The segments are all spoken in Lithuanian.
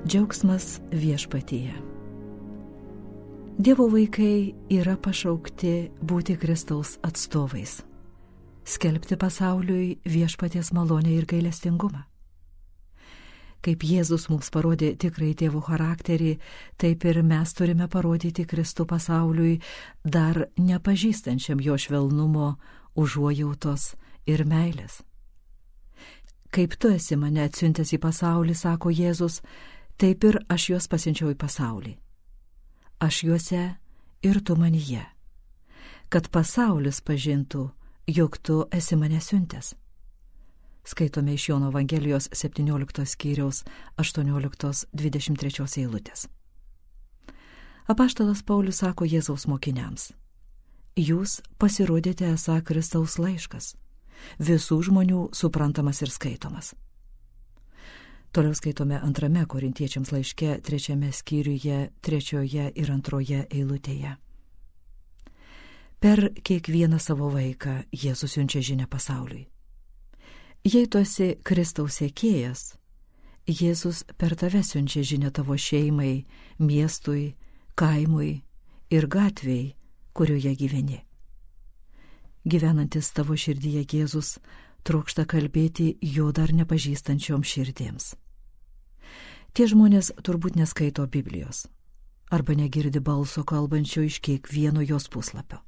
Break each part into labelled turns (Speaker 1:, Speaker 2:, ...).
Speaker 1: Džiaugsmas viešpatyje. Dievo vaikai yra pašaukti būti Kristaus atstovais, skelbti pasauliui viešpaties malonę ir gailestingumą. Kaip Jėzus mums parodė tikrai tėvo charakterį, taip ir mes turime parodyti Kristų pasauliui, dar nepažįstančiam jo švelnumo, užuojautos ir meilės. Kaip tu esi mane atsiuntęs į pasaulį, sako Jėzus, taip ir aš juos pasiunčiau į pasaulį. Aš juose ir tu manyje, kad pasaulis pažintų, jog tu esi mane siuntęs. Skaitome iš Jono Evangelijos 17 skyriaus 18-23 eilutės. Apaštalas Paulius sako Jėzaus mokiniams: jūs pasirodėte esą Kristaus laiškas, visų žmonių suprantamas ir skaitomas. Toliau skaitome 2 Korintiečiams laiške 3 skyriuje 3 ir 2 eilutėje. Per kiekvieną savo vaiką Jėzus siunčia žinią pasauliui. Jei tu esi Kristaus sekėjas, Jėzus per tave siunčia žinią tavo šeimai, miestui, kaimui ir gatvei, kurioje gyveni. Gyvenantis tavo širdyje Jėzus trokšta kalbėti jo dar nepažįstančiom širdėms. Tie žmonės turbūt neskaito Biblijos arba negirdi balso kalbančio iš kiekvieno jos puslapio,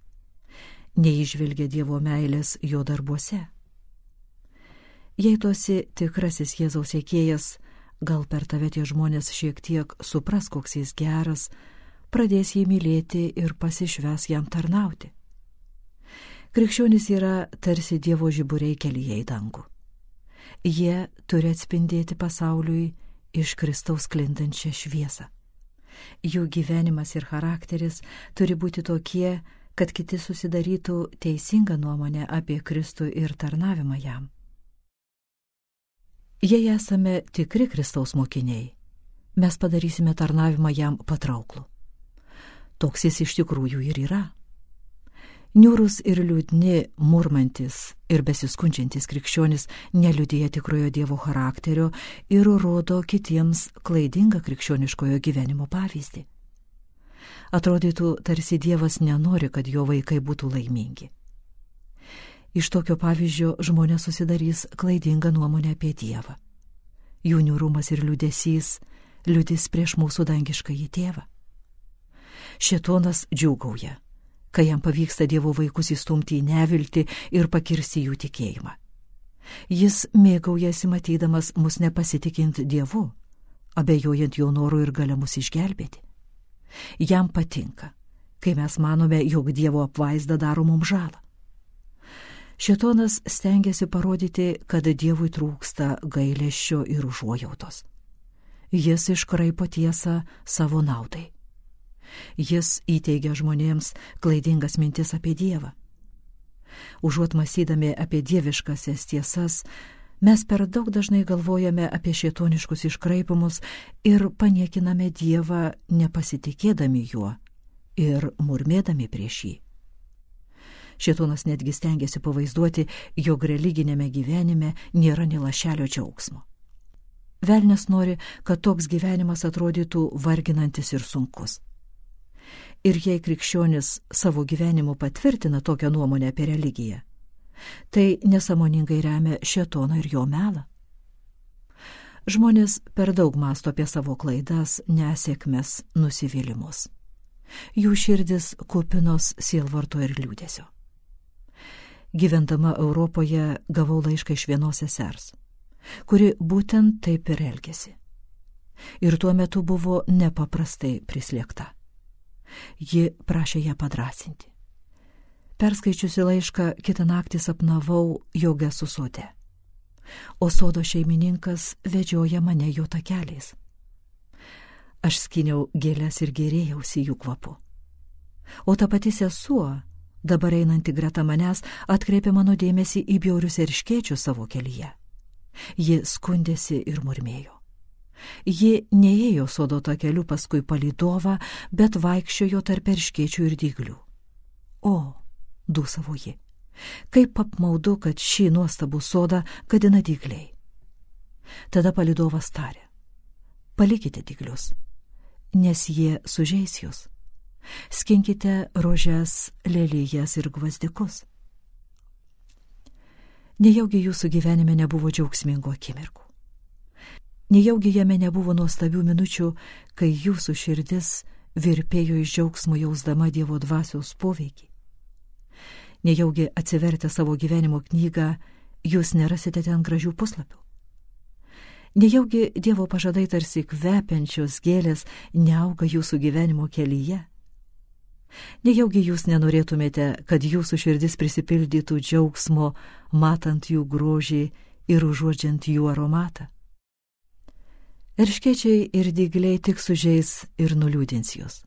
Speaker 1: neįžvelgia Dievo meilės jo darbuose. Jei tu esi tikrasis Jėzaus sekėjas, gal per tave tie žmonės šiek tiek supras, koks jis geras, pradės jį mylėti ir pasišves jam tarnauti. Krikščionys yra tarsi Dievo žiburiai kelyje į dangų. Jie turi atspindėti pasauliui iš Kristaus sklindančią šviesą. Jų gyvenimas ir charakteris turi būti tokie, kad kiti susidarytų teisingą nuomonę apie Kristų ir tarnavimą jam. Jei esame tikri Kristaus mokiniai, mes padarysime tarnavimą jam patrauklų. Toks jis iš tikrųjų ir yra. Niūrus ir liūdni, murmantis ir besiskundžiantis krikščionis neliudija tikrojo Dievo charakterio ir rodo kitiems klaidingą krikščioniškojo gyvenimo pavyzdį. Atrodytų, tarsi Dievas nenori, kad jo vaikai būtų laimingi. Iš tokio pavyzdžio žmonės susidarys klaidingą nuomonę apie Dievą. Jų niūrumas ir liūdesys liudys prieš mūsų dangiškąjį tėvą. Šėtonas džiūgauja, kai jam pavyksta Dievo vaikus įstumti į neviltį ir pakirsti jų tikėjimą. Jis mėgaujasi matydamas mus nepasitikint Dievu, abejojant jo noru ir galia mus išgelbėti. Jam patinka, kai mes manome, jog Dievo apvaizda daro mums žalą. Šėtonas stengiasi parodyti, kad Dievui trūksta gailesčio ir užuojautos. Jis iškraipo tiesą savo naudai. Jis įteigia žmonėms klaidingas mintis apie Dievą. Užuot mąstydami apie dieviškasias tiesas, mes per daug dažnai galvojame apie šėtoniškus iškraipimus ir paniekiname Dievą, nepasitikėdami juo ir murmėdami prieš jį. Šėtonas netgi stengiasi pavaizduoti, jog religinėme gyvenime nėra nė lašelio džiaugsmo. Velnias nori, kad toks gyvenimas atrodytų varginantis ir sunkus. Ir jei krikščionis savo gyvenimu patvirtina tokią nuomonę apie religiją, tai nesąmoningai remia šėtoną ir jo melą. Žmonės per daug mąsto apie savo klaidas, nesėkmes, nusivylimus. Jų širdis kupinos sielvarto ir liūdesio. Gyvendama Europoje gavau laišką iš vienos sesers, kuri būtent taip ir elgėsi. Ir tuo metu buvo nepaprastai prislėgta. Ji prašė ją padrąsinti. Perskaičiusi laišką, kitą naktį sapnavau, jog esu sode, o sodo šeimininkas vedžioja mane jo takeliais. Aš skyniau gėles ir gėrėjausi jų kvapu. O ta pati sesuo, dabar einanti greta manęs, atkreipė mano dėmesį į bjaurius erškėčius savo kelyje. Ji skundėsi ir murmėjo. Ji neėjo sodo takeliu paskui palydovą, bet vaikščiojo tarp erškėčių ir dyglių. O, dūsavo ji, kaip apmaudu, kad šį nuostabų sodą gadina dygliai. Tada palydovas tarė: palikite dyglius, nes jie sužeis jūs. Skinkite rožes, lelijas ir gvazdikus. Nejaugi jūsų gyvenime nebuvo džiaugsmingų akimirkų. Nejaugi jame nebuvo nuostabių minučių, kai jūsų širdis virpėjo iš džiaugsmo jausdama Dievo dvasios poveikį. Nejaugi atsivertę savo gyvenimo knygą, jūs nerasite ten gražių puslapių. Nejaugi Dievo pažadai tarsi kvepiančios gėlės neauga jūsų gyvenimo kelyje. Nejaugi jūs nenorėtumėte, kad jūsų širdis prisipildytų džiaugsmo, matant jų grožį ir užuodžiant jų aromatą. Erškėčiai ir dygliai tik sužeis ir nuliūdins jūs.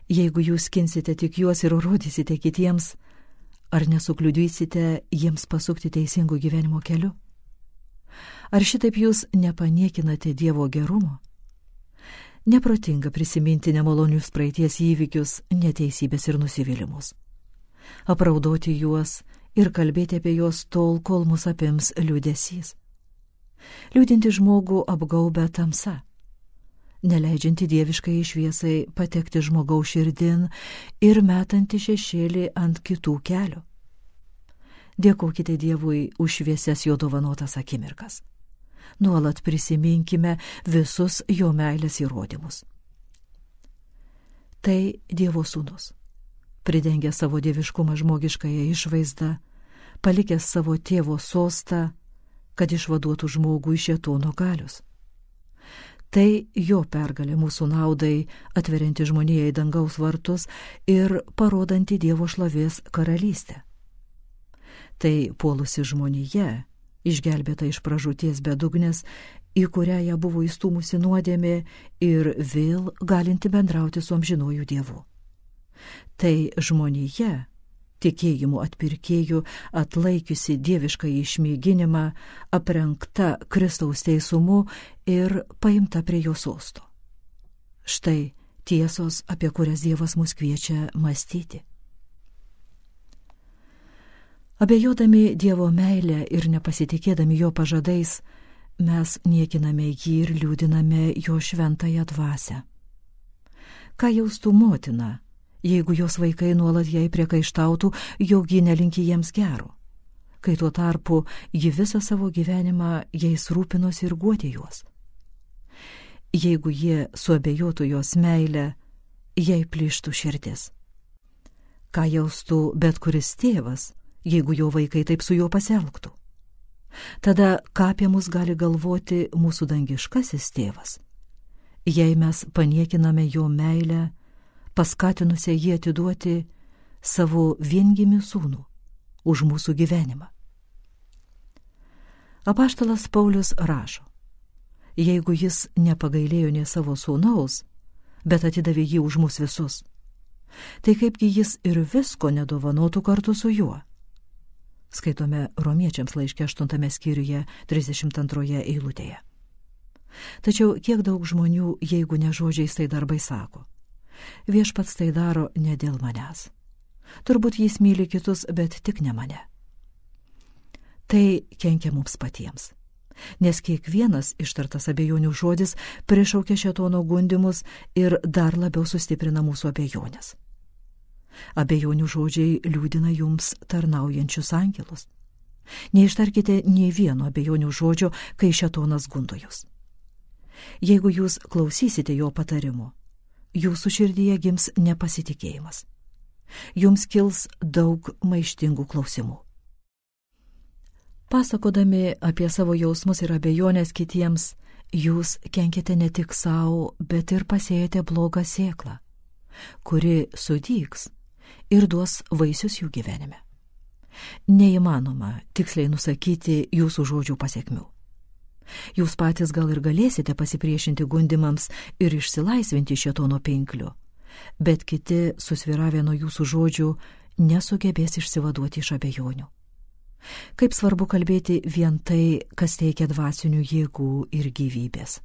Speaker 1: Jeigu jūs skinsite tik juos ir rodysite kitiems, ar nesukliudysite jiems pasukti teisingų gyvenimo keliu? Ar šitaip jūs nepaniekinate Dievo gerumo? Neprotinga prisiminti nemalonius praeities įvykius, neteisybės ir nusivylimus. Apraudoti juos ir kalbėti apie juos tol, kol mus apims liūdesys. Liūdinti žmogų apgaubia tamsa, neleidžianti dieviškai šviesai patekti žmogaus širdin ir metanti šešėlį ant kitų kelių. Dėkokite Dievui už šviesias jo dovanotas akimirkas. Nuolat prisiminkime visus jo meilės įrodymus. Tai Dievo sūnus, pridengęs savo dieviškumą žmogiškąją išvaizdą, palikęs savo tėvo sostą, kad išvaduotų žmogų iš šėtono galios. Tai jo pergalė mūsų naudai, atverianti žmonijai dangaus vartus ir parodanti Dievo šlovės karalystę. Tai puolusi žmonija, išgelbėta iš pražūties bedugnės, į kurią ją buvo įstūmusi nuodėmė ir vėl galinti bendrauti su amžinuoju Dievu. Tai žmonija, tikėjimu atpirkėjų, atlaikiusi dievišką išmėginimą, aprengta Kristaus teisumu ir paimta prie jo sosto. Štai tiesos, apie kurias Dievas mus kviečia mąstyti. Abejodami Dievo meilę ir nepasitikėdami jo pažadais, mes niekiname jį ir liūdiname jo šventąją dvasią. Ką jaustų motina, jeigu jos vaikai nuolat jai priekaištautų, jog ji nelinki jiems gero, kai tuo tarpu ji visą savo gyvenimą jais rūpinosi ir guodė juos? Jeigu jie suabejotų jos meilę, jai plyštų širdis. Ką jaustų bet kuris tėvas, jeigu jo vaikai taip su juo pasielgtų? Tada ką apie mus gali galvoti mūsų dangiškasis tėvas, jei mes paniekiname jo meilę, paskatinusią jį atiduoti savo viengimį sūnų už mūsų gyvenimą? Apaštalas Paulius rašo, jeigu jis nepagailėjo nė savo sūnaus, bet atidavė jį už mus visus, tai kaipgi jis ir visko nedovanotų kartu su juo? Skaitome Romiečiams laiške 8 skyriuje 32 eilutėje. Tačiau kiek daug žmonių, jeigu ne žodžiais, tai darbai sako: viešpats tai daro ne dėl manęs. Turbūt jis myli kitus, bet tik ne mane. Tai kenkia mums patiems, nes kiekvienas ištartas abejonių žodis prišaukia šėtono gundymus ir dar labiau sustiprina mūsų abejonės. Abejonių žodžiai liūdina jums tarnaujančius angelus. Neištarkite nė vieno abejonių žodžio, kai šėtonas gundo jūs. Jeigu jūs klausysite jo patarimų, jūsų širdyje gims nepasitikėjimas. Jums kils daug maištingų klausimų. Pasakodami apie savo jausmus ir abejonės kitiems, jūs kenkite ne tik savo, bet ir pasėjate blogą sėklą, kuri sudygs ir duos vaisius jų gyvenime. Neįmanoma tiksliai nusakyti jūsų žodžių pasekmių. Jūs patys gal ir galėsite pasipriešinti gundimams ir išsilaisvinti šėtono pinklių, bet kiti, susvyravę nuo jūsų žodžių, nesugebės išsivaduoti iš abejonių. Kaip svarbu kalbėti vien tai, kas teikia dvasinių jėgų ir gyvybės.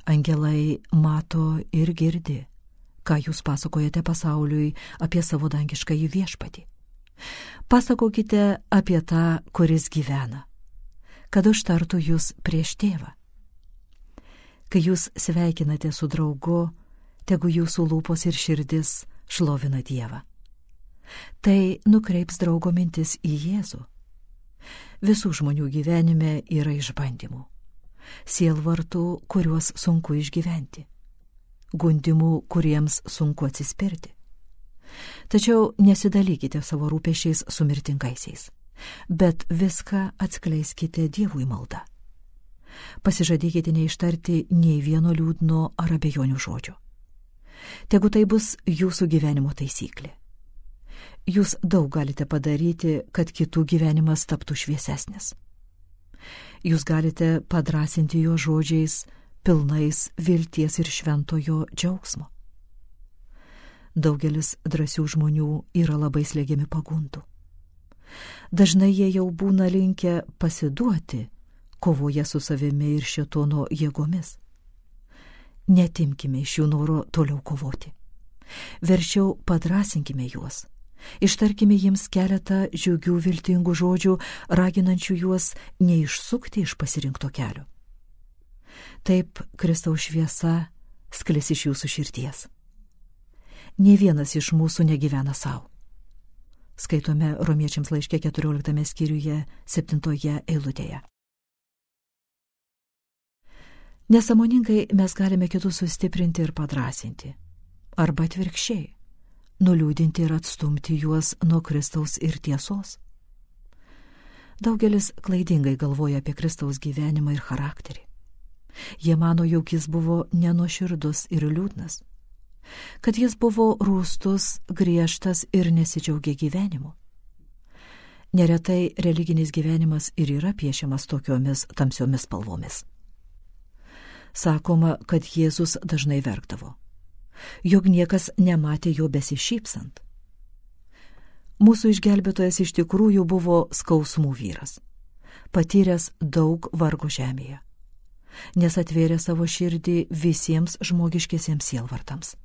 Speaker 1: Angelai mato ir girdi, ką jūs pasakojate pasauliui apie savo dangiškąjį viešpatį. Pasakokite apie tą, kuris gyvena, kad užtartų jūs prieš tėvą. Kai jūs sveikinate su draugu, tegu jūsų lūpos ir širdis šlovina Dievą. Tai nukreips draugo mintis į Jėzų. Visų žmonių gyvenime yra išbandymų, sielvartų, kuriuos sunku išgyventi, gundimų, kuriems sunku atsispirti. Tačiau nesidalykite savo rūpesčiais su mirtingaisiais, bet viską atskleiskite Dievui malda. Pasižadėkite neištarti nei vieno liūdno ar abejonių žodžio. Tegu tai bus jūsų gyvenimo taisyklė. Jūs daug galite padaryti, kad kitų gyvenimas taptų šviesesnis. Jūs galite padrasinti jo žodžiais, pilnais vilties ir šventojo džiaugsmo. Daugelis drąsių žmonių yra labai slėgiami pagundų. Dažnai jie jau būna linkę pasiduoti, kovoja su savimi ir šėtono jėgomis. Netimkime iš jų noro toliau kovoti. Verčiau padrasinkime juos. Ištarkime jiems keletą džiugių viltingų žodžių, raginančių juos neišsukti iš pasirinkto kelio. Taip Kristaus šviesa sklis iš jūsų širdies. Nė vienas iš mūsų negyvena savo. Skaitome Romiečiams laiške 14 skyriuje 7 eilutėje. Nesąmoningai mes galime kitus sustiprinti ir padrasinti, arba atvirkščiai, nuliūdinti ir atstumti juos nuo Kristaus ir tiesos. Daugelis klaidingai galvoja apie Kristaus gyvenimą ir charakterį. Jie mano, jog jis buvo nenuoširdus ir liūdnas, kad jis buvo rūstus, griežtas ir nesidžiaugė gyvenimu. Neretai religinis gyvenimas ir yra piešiamas tokiomis tamsiomis spalvomis. Sakoma, kad Jėzus dažnai verkdavo, jog niekas nematė jo besišypsant. Mūsų išgelbėtojas iš tikrųjų buvo skausmų vyras, patyręs daug vargo žemėje, nes atvėrė savo širdį visiems žmogiškiesiems sielvartams.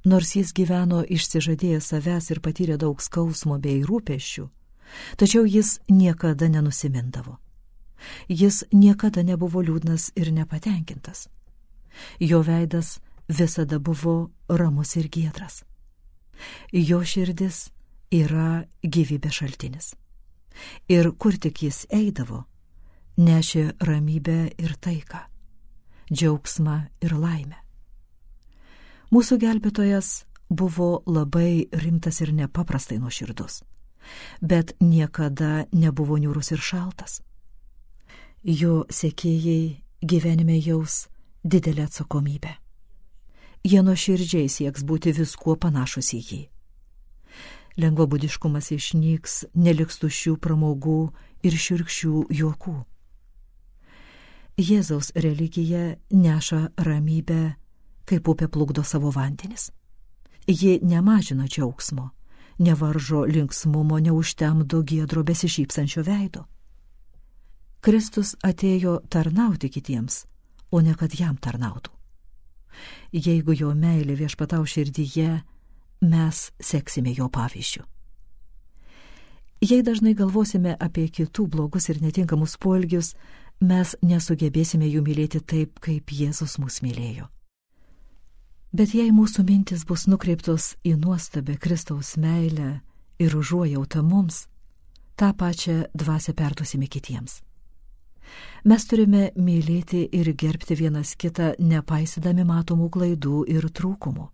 Speaker 1: Nors jis gyveno išsižadėjęs savęs ir patyrė daug skausmo bei rūpesčių, tačiau jis niekada nenusimindavo. Jis niekada nebuvo liūdnas ir nepatenkintas. Jo veidas visada buvo ramus ir giedras. Jo širdis yra gyvybės šaltinis. Ir kur tik jis eidavo, nešė ramybę ir taiką, džiaugsmą ir laimę. Mūsų gelbėtojas buvo labai rimtas ir nepaprastai nuoširdus, bet niekada nebuvo niūrus ir šaltas. Jo sekėjai gyvenime jaus didelę atsakomybę. Jie nuoširdžiai sieks būti viskuo panašus į jį. Lengvabūdiškumas išnyks, neliks tuščių pramogų ir šiurkščių juokų. Jėzaus religija neša ramybę, kaip upė plukdo savo vandenis. Ji nemažina džiaugsmo, nevaržo linksmumo, neužtemdo giedro besišypsančio veido. Kristus atėjo tarnauti kitiems, o ne kad jam tarnautų. Jeigu jo meilė viešpatau širdyje, mes seksime jo pavyzdžiu. Jei dažnai galvosime apie kitų blogus ir netinkamus poelgius, mes nesugebėsime jų mylėti taip, kaip Jėzus mus mylėjo. Bet jei mūsų mintis bus nukreiptos į nuostabę Kristaus meilę ir užuojautą mums, tą pačią dvasią perduosime kitiems. Mes turime mylėti ir gerbti vienas kitą, nepaisydami matomų klaidų ir trūkumų.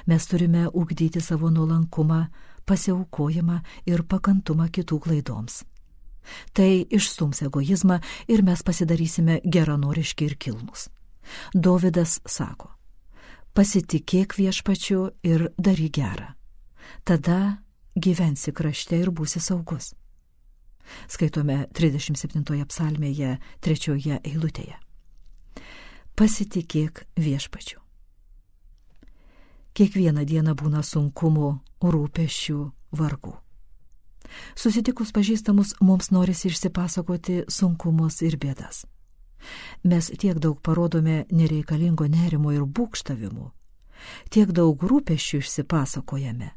Speaker 1: Mes turime ugdyti savo nuolankumą, pasiaukojimą ir pakantumą kitų klaidoms. Tai išstums egoizmą ir mes pasidarysime geranoriški ir kilnūs. Dovydas sako: pasitikėk Viešpačiu ir daryk gerą. Tada gyvensi krašte ir būsi saugus. Skaitome 37 psalmėje 3 eilutėje. Pasitikėk Viešpačiu. Kiekvieną dieną būna sunkumų, rūpesčių, vargų. Susitikus pažįstamus, mums norisi išsipasakoti sunkumus ir bėdas. Mes tiek daug parodome nereikalingo nerimo ir būgštavimų, tiek daug rūpesčių išsipasakojame,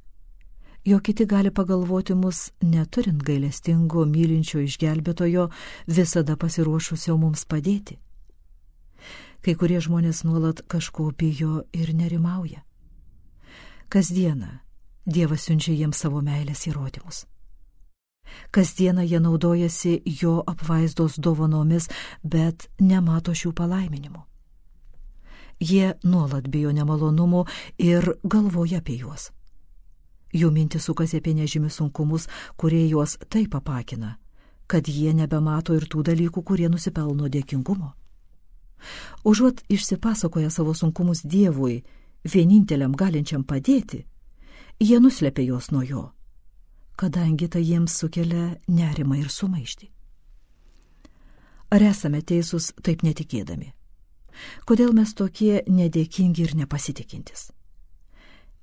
Speaker 1: jog kiti gali pagalvoti mus, neturint gailestingo, mylinčio išgelbėtojo, visada pasiruošusio mums padėti. Kai kurie žmonės nuolat kažko bijo ir nerimauja. Kasdieną Dievas siunčia jiems savo meilės įrodymus. Kasdieną jie naudojasi jo apvaizdos dovanomis, bet nemato šių palaiminimų. Jie nuolat bijo nemalonumų ir galvoja apie juos. Jų mintis sukasi apie nežymius sunkumus, kurie juos taip apakina, kad jie nebemato ir tų dalykų, kurie nusipelno dėkingumo. Užuot išsipasakoję savo sunkumus Dievui, vieninteliam galinčiam padėti, jie nuslepia juos nuo jo, kadangi tai jiems sukelia nerimą ir sumaištį. Ar esame teisūs taip netikėdami? Kodėl mes tokie nedėkingi ir nepasitikintis?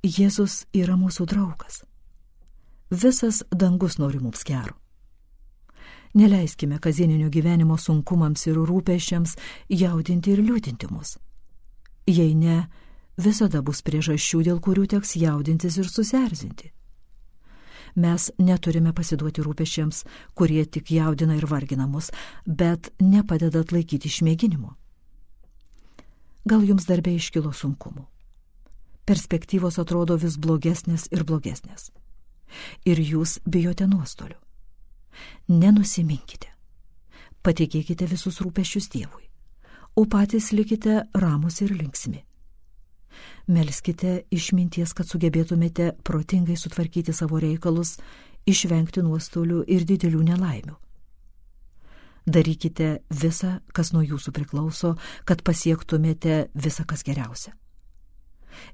Speaker 1: Jėzus yra mūsų draugas. Visas dangus nori mums gero. Neleiskime kasdieninio gyvenimo sunkumams ir rūpesčiams jaudinti ir liūdinti mus. Jei ne, visada bus priežasčių, dėl kurių teks jaudintis ir susierzinti. Mes neturime pasiduoti rūpesčiams, kurie tik jaudina ir vargina mus, bet nepadeda atlaikyti išmėginimo. Gal jums darbe iškilo sunkumų. Perspektyvos atrodo vis blogesnės ir blogesnės. Ir jūs bijote nuostolių. Nenusiminkite. Patikėkite visus rūpesčius Dievui, o patys likite ramus ir linksmi. Melskite išminties, kad sugebėtumėte protingai sutvarkyti savo reikalus, išvengti nuostolių ir didelių nelaimių. Darykite visą, kas nuo jūsų priklauso, kad pasiektumėte visą, kas geriausia.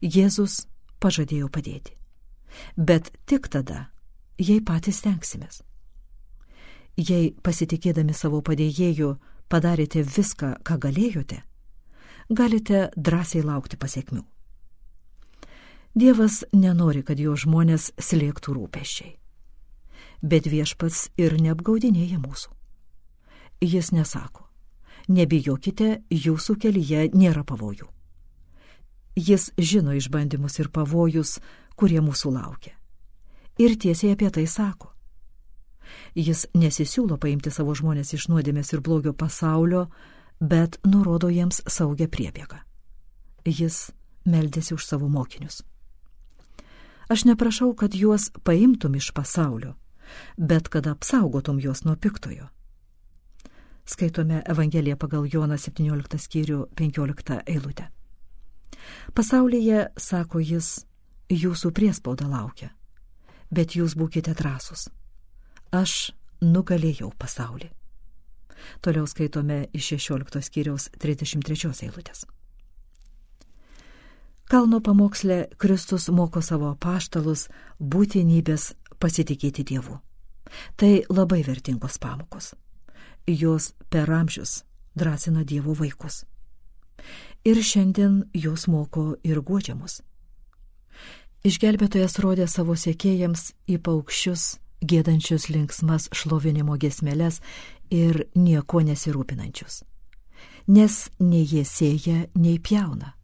Speaker 1: Jėzus pažadėjo padėti, bet tik tada, jei patys stengsimės. Jei pasitikėdami savo padėjėju padarėte viską, ką galėjote, galite drąsiai laukti pasekmių. Dievas nenori, kad jo žmonės slėgtų rūpesčiai, bet Viešpats ir neapgaudinėja mūsų. Jis nesako, nebijokite, jūsų kelyje nėra pavojų. Jis žino išbandymus ir pavojus, kurie mūsų laukia. Ir tiesiai apie tai sako. Jis nesisiūlo paimti savo žmonės iš nuodėmės ir blogio pasaulio, bet nurodo jiems saugią priebėgą. Jis meldėsi už savo mokinius. Aš neprašau, kad juos paimtum iš pasaulio, bet kad apsaugotum juos nuo piktojo. Skaitome Evangeliją pagal Joną 17 skyrių 15 eilutę. Pasaulyje, sako jis, jūsų priespauda laukia, bet jūs būkite drąsūs. Aš nugalėjau pasaulį. Toliau skaitome iš 16 skyriaus 33 eilutės. Kalno pamoksle Kristus moko savo apaštalus būtinybės pasitikėti Dievu. Tai labai vertingos pamokos. Jos per amžius drąsina Dievo vaikus. Ir šiandien jos moko ir guodžia mus. Išgelbėtojas rodė savo sekėjams į paukščius, giedančius linksmas šlovinimo giesmeles ir nieko nesirūpinančius. Nes nei jie sėja, nei pjauna,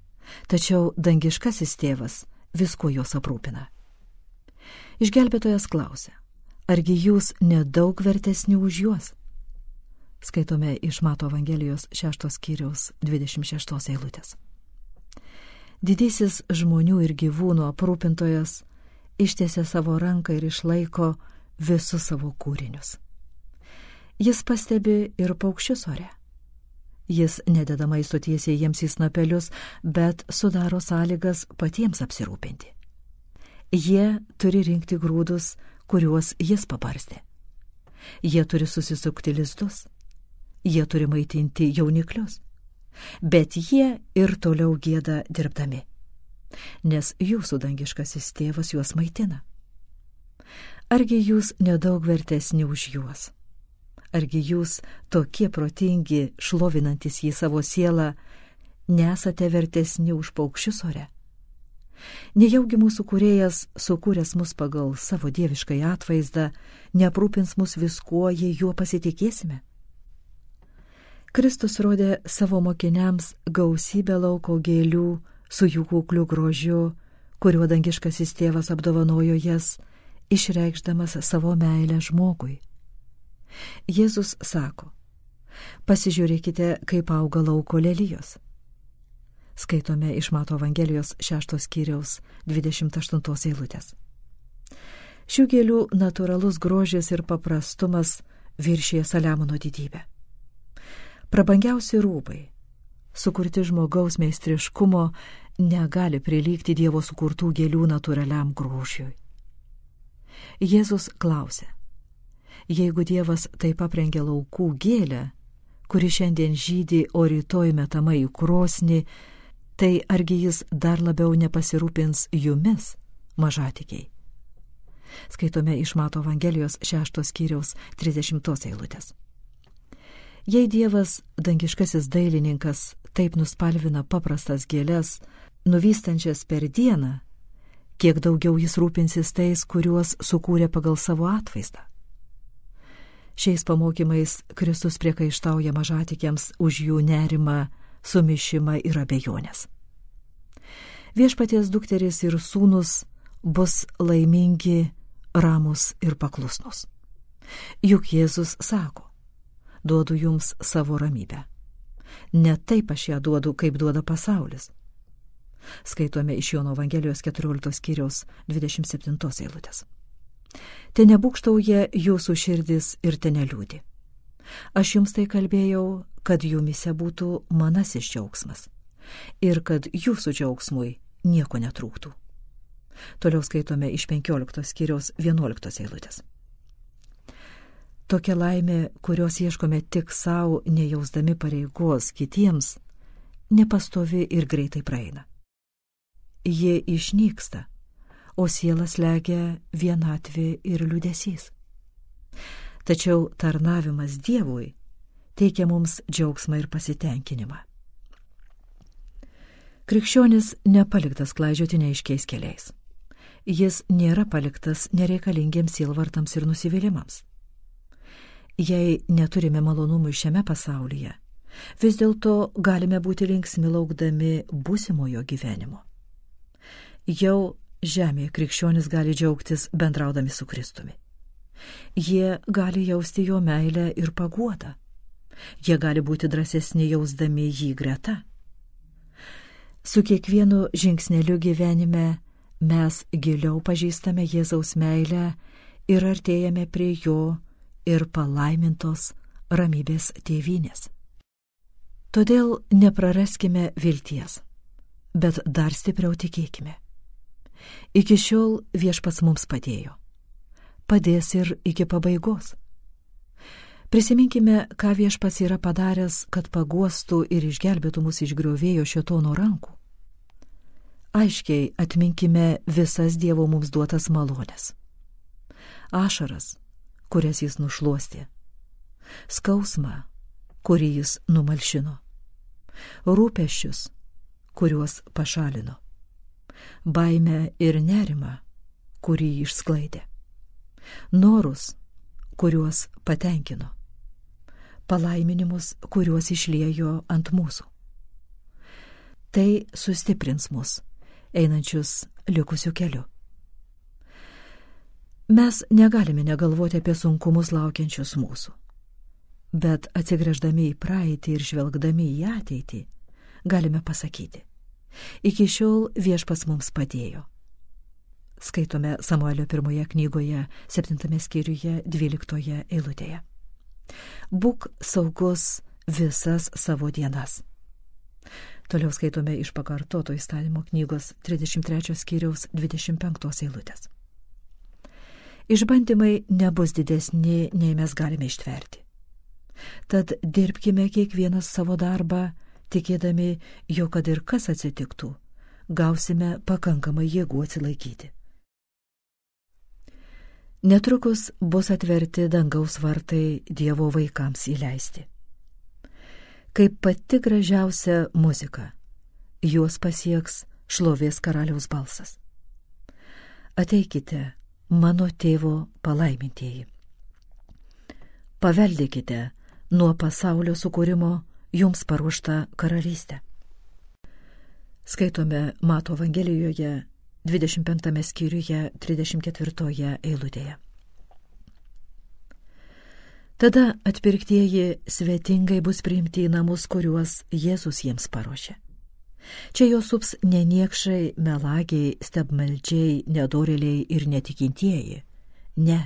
Speaker 1: tačiau dangiškasis tėvas visko jos aprūpina. Išgelbėtojas klausia, argi jūs nedaug vertesni už juos? Skaitome iš Mato Evangelijos 6 skyriaus 26 eilutės. Didysis žmonių ir gyvūnų aprūpintojas ištiesia savo ranką ir išlaiko visus savo kūrinius. Jis pastebi ir paukščius ore. Jis nededa maisto tiesiai jiems į snapelius, bet sudaro sąlygas patiems apsirūpinti. Jie turi rinkti grūdus, kuriuos jis pabarstė. Jie turi susisukti lizdus. Jie turi maitinti jauniklius. Bet jie ir toliau gieda dirbdami, nes jūsų dangiškasis tėvas juos maitina. Argi jūs nedaug vertesni už juos? Argi jūs tokie protingi, šlovinantis jį savo sielą, nesate vertesni už paukščius ore? Nejaugi mūsų kūrėjas, sukūręs mus pagal savo dieviškai atvaizdą, neaprūpins mus viskuo, jei juo pasitikėsime? Kristus rodė savo mokiniams gausybę lauko gėlių su jų kukliu grožiu, kuriuo dangiškasis tėvas apdovanojo jas, išreikšdamas savo meilę žmogui. Jėzus sako, pasižiūrėkite, kaip auga lauko lelijos. Skaitome iš Mato Evangelijos 6 skyriaus 28 eilutės. Šių gėlių natūralus grožis ir paprastumas viršija Saliamono didybę. Prabangiausi rūbai, sukurti žmogaus meistriškumo, negali prilygti Dievo sukurtų gėlių natūraliam grožiui. Jėzus klausė, jeigu Dievas taip aprengia laukų gėlę, kuri šiandien žydi, o rytoj metama į krosnį, tai argi jis dar labiau nepasirūpins jumis, mažatikiai? Skaitome iš Mato Evangelijos 6 skyriaus 30 eilutės. Jei Dievas, dangiškasis dailininkas, taip nuspalvina paprastas gėles, nuvystančias per dieną, kiek daugiau jis rūpinsis tais, kuriuos sukūrė pagal savo atvaizdą. Šiais pamokymais Kristus priekaištauja mažatikiams už jų nerimą, sumišimą ir abejonės. Viešpaties dukterys ir sūnus bus laimingi, ramus ir paklusnus. Juk Jėzus sako, duodu jums savo ramybę. Ne taip aš ją duodu, kaip duoda pasaulis. Skaitome iš Jono Evangelijos 14 skyriaus 27 eilutės. Te nebūkštauja jūsų širdis ir te neliūdi. Aš jums tai kalbėjau, kad jumise būtų manasis džiaugsmas ir kad jūsų džiaugsmui nieko netrūktų. Toliau skaitome iš 15 skyriaus 11 eilutės. Tokia laimė, kurios ieškome tik savo, nejausdami pareigos kitiems, nepastovi ir greitai praeina. Jie išnyksta, o sielas slegia vienatvė ir liūdesys. Tačiau tarnavimas Dievui teikia mums džiaugsmą ir pasitenkinimą. Krikščionis nepaliktas klaidžioti neaiškiais keliais. Jis nėra paliktas nereikalingiems sielvartams ir nusivylimams. Jei neturime malonumų šiame pasaulyje, vis dėlto galime būti linksmi laukdami būsimojo gyvenimo. Jau žemėje krikščionis gali džiaugtis bendraudami su Kristumi. Jie gali jausti jo meilę ir paguodą. Jie gali būti drąsesni jausdami jį greta. Su kiekvienu žingsneliu gyvenime mes giliau pažįstame Jėzaus meilę ir artėjame prie jo ir palaimintos ramybės tėvynės. Todėl nepraraskime vilties, bet dar stipriau tikėkime. Iki šiol Viešpats mums padėjo. Padės ir iki pabaigos. Prisiminkime, ką Viešpats yra padaręs, kad paguostų ir išgelbėtų mus iš griovėjo šėtono rankų. Aiškiai atminkime visas Dievo mums duotas malonės. Ašaras, kurias jis nušluostė. Skausmą, kurį jis numalšino. Rūpesčius, kuriuos pašalino. Baimę ir nerimą, kurį išsklaidė. Norus, kuriuos patenkino. Palaiminimus, kuriuos išliejo ant mūsų. Tai sustiprins mus, einančius likusiu keliu. Mes negalime negalvoti apie sunkumus laukiančius mūsų, bet atsigręždami į praeitį ir žvelgdami į ateitį, galime pasakyti, iki šiol Viešpats mums padėjo. Skaitome Samuelio 1 knygoje, 7 skyriuje, 12 eilutėje. Būk saugus visas savo dienas. Toliau skaitome iš Pakartoto įstatymo knygos 33 skyriaus 25 eilutės. Išbandymai nebus didesni, nei mes galime ištverti. Tad dirbkime kiekvienas savo darbą, tikėdami, jog kad ir kas atsitiktų, gausime pakankamai jėgų atsilaikyti. Netrukus bus atverti dangaus vartai Dievo vaikams įleisti. Kaip pati gražiausia muzika, juos pasieks šlovės karaliaus balsas. Ateikite, mano tėvo palaimintieji. Paveldėkite nuo pasaulio sukūrimo jums paruoštą karalystę. Skaitome Mato Evangelijoje 25 skyriuje 34 eilutėje. Tada atpirktieji svetingai bus priimti į namus, kuriuos Jėzus jiems paruošė. Čia jos sups ne niekšai, melagiai, stebmeldžiai, nedorėliai ir netikintieji. Ne.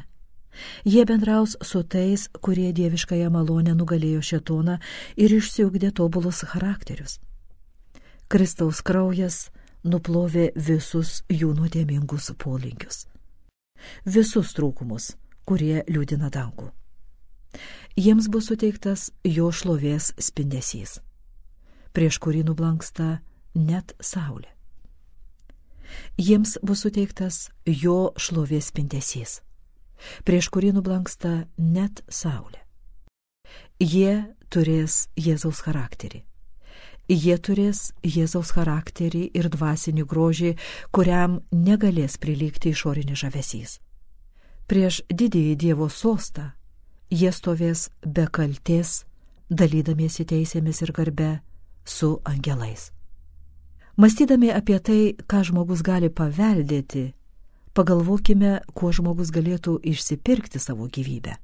Speaker 1: Jie bendraus su tais, kurie dieviškąją malonę nugalėjo šėtoną ir išsiugdė tobulus charakterius. Kristaus kraujas nuplovė visus jų nuodėmingus polinkius. Visus trūkumus, kurie liūdina dangų. Jiems bus suteiktas jo šlovės spindesys, prieš kurį nublanksta net saulė. Jiems bus suteiktas jo šlovės spindesys, prieš kurį nublanksta net saulė. Jie turės Jėzaus charakterį. Jie turės Jėzaus charakterį ir dvasinį grožį, kuriam negalės prilygti išorinis žavesys. Prieš didįjį Dievo sostą jie stovės be kaltės, dalydamiesi teisėmis ir garbe su angelais. Mąstydami apie tai, ką žmogus gali paveldėti, pagalvokime, kuo žmogus galėtų išsipirkti savo gyvybę.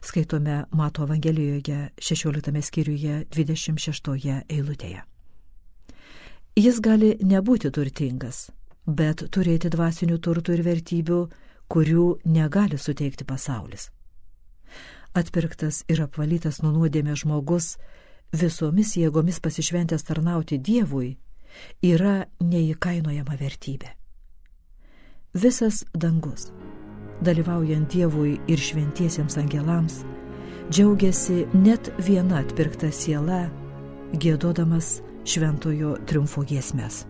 Speaker 1: Skaitome Mato Evangelijoje 16 skyriuje 26 eilutėje. Jis gali nebūti turtingas, bet turėti dvasinių turtų ir vertybių, kurių negali suteikti pasaulis. Atpirktas ir apvalytas nuo nuodėmės žmogus, visomis jėgomis pasišventęs tarnauti Dievui, yra neįkainojama vertybė. Visas dangus, dalyvaujant Dievui ir šventiesiems angelams, džiaugiasi net viena atpirkta siela, giedodamas šventojo triumfo giesmes.